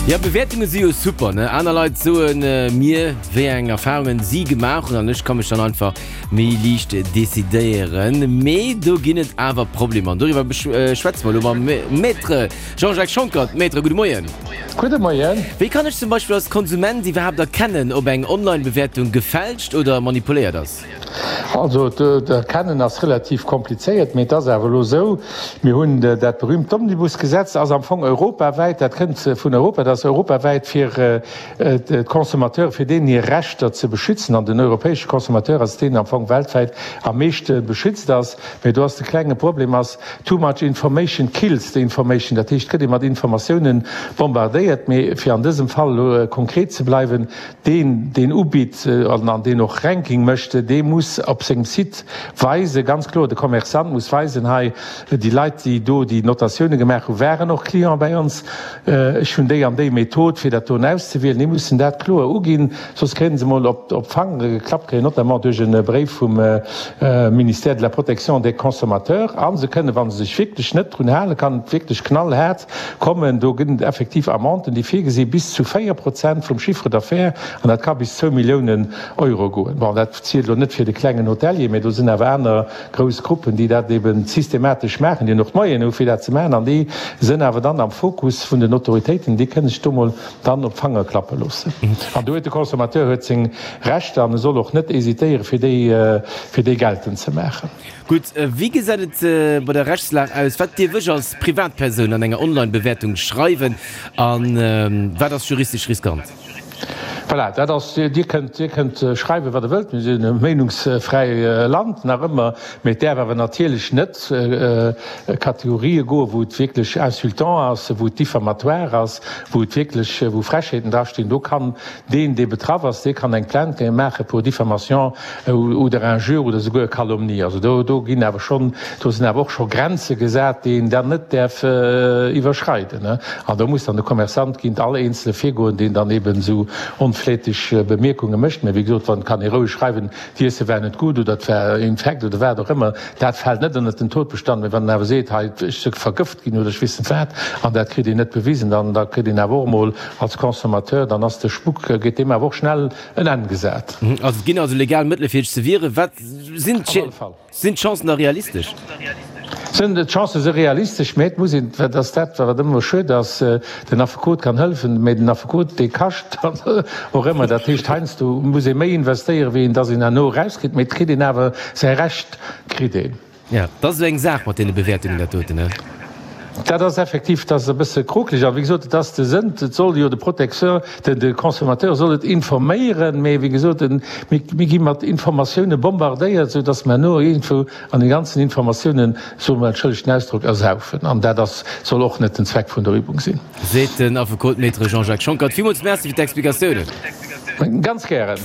Jo, Bewäertunge si jo super, ne? Aner Leit soe mir, wéi eng Erfarungen si gemaach hunn an ech ka mech dann einfach méi liicht decidéieren. Mee do ginn et awer Problemer an doriwwer schwätze mer elo mam Maître Jean-Jacques Schonckert. Maître, gudde Moien. Gudde Moien. Wéi kann ech zum Beispill als Konsument iwwerhaapt erkennen, ob eng Online-Bewäertung gefälscht oder manipuléiert ass? Also d'Erkennen ass relativ komplizéiert, mee et ass awer elo esou, mir hunn dat berühmt Omnibusgesetz, ass am Fong europawäit, dat kënnt vun Europa, dat ass europawäit fir d'Consommateure, fir deenen hir Rechter ze beschützen. An den europäesche Consommateur ass deen am Fong weltwäit am meeschte beschützt ass. Mee do ass de klenge Problem ass, too much information kills the information. Dat heescht, et gëtt ee mat Informatiounen bombardéiert. Mee fir an dësem Fall elo konkret ze bleiwen, Deen, deen ubitt an deen och Ranking mécht, dee muss op sengem Site weisen, ganz kloer, de Commerçant muss weisen, hei, déi Leit, déi do déi Notatioune gemaach hunn, waren och Client bei ons, ech hunn déi an déi Method, fir dat doen auszewielen. Déi mussen dat kloer uginn, soss kréien se emol op d'Fangere geklappt, kréien notamment duerch e Bréif vum Ministère de la Protection des consommateurs. A se kënnen, wa se sech wierklech net drun halen, kann et wierklech knallhaart Kommen. Do gëtt et effektiv Amenden, déi virgesi bis zu 4 Prozent vum Chiffre d'affaires, an dat ka bis zwou Milliounen Euro goen. Bon, dat zielt elo net fir de klengen Hotelier, mä do sinn awer aner grouss Gruppen, déi dat ebe systematesch maachen, déi hunn och d'Moyene hu fir dat ze maachen, an déi sënn awer dann am Fokus vun den Autoritéiten, déi kënne sech do mol dann op d'Fanger klappe loossen. An do huet de Consommateur huet seng Rechter an e soll och net hésitéiere fir déi, fir déi geltend ze maachen. Gutt, wéi gesäit et bei der Rechtslag aus? Wat dierf ech als Privatpersoun an enger Online-Bewäertung schreiwen a wat ass juristesch riskant? Voilà, dat ass, Dir kënnt, Dir kënnt schreiwen, wat Der wëllt, mir sinn e meenungsfräi Land, nach ëmmer, mee et däerf awer natierlech net Kategorië goen, wou et wierklech insultant ass, wou et diffamatoire ass, wou et wierklech, wou Frechheeten drastinn. Do kann deen, dee betraff ass, dee kann eng Plainte maache pour diffamation oder injure oder souguer calomnie. Also do, do ginn awer schonn, do sinn awer och scho Grenze gesat, déi een dann net däerf iwwerschreiden. An do muss dann de Commerçant géint all Eenzele virgoen, deen dann eben esou onfläteg Bemierkunge mécht. Mä wéi gesot, wann kann ee roueg schreiwen, d'Iesse war net gutt oder et war infekt oder wat och ëmmer, dat fält net ënnert den Todbestand. Mä wann en awer seet, hei ech si vergëft ginn oder ech weess net wat, an dat kritt een net bewisen, dann da kritt een awer och emol als Consommateur, dann ass de Spuck, geet deem awer och schnell en Enn gesat. Also et ginn also legal Mëttele fir sech ze wieren. Wat sinn sinn d'Chancen da realistesch? Sinn d'Chancë si realistesch, mä et muss een, dat ass dat wat ëmmer schued ass, den Affekot kann hëllefen, mä den Affekot dee kascht dann och ëmmer. Dat heescht heiansdo muss ee méi investéieren, wéi een dass een herno erauskritt, mä et kritt een awer säi Recht kritt een. Jo, dat ass esou eng Saach mat deene Bewäertungen, dat doten, ne? Dat ass effektiv, dat ass e bësse krokeleg. A wéi gesot, et ass de Sënn, et soll jo de Protecteur, de, de Consommateur soll et informéieren, mee wéi gesot, en, mir, mir gi mat Informatioune bombardéiert, esou datt mer herno iergendwou an de ganzen Informatiounen, soe mer, entschëllegt den Ausdrock, ersaufen. An dat ass, soll och net den Zweck vun der Übung sinn. Seet den Affekot Maître Jean-Jacques Schonckert. Villmools Merci fir d'Explikatiounen. Ganz gären.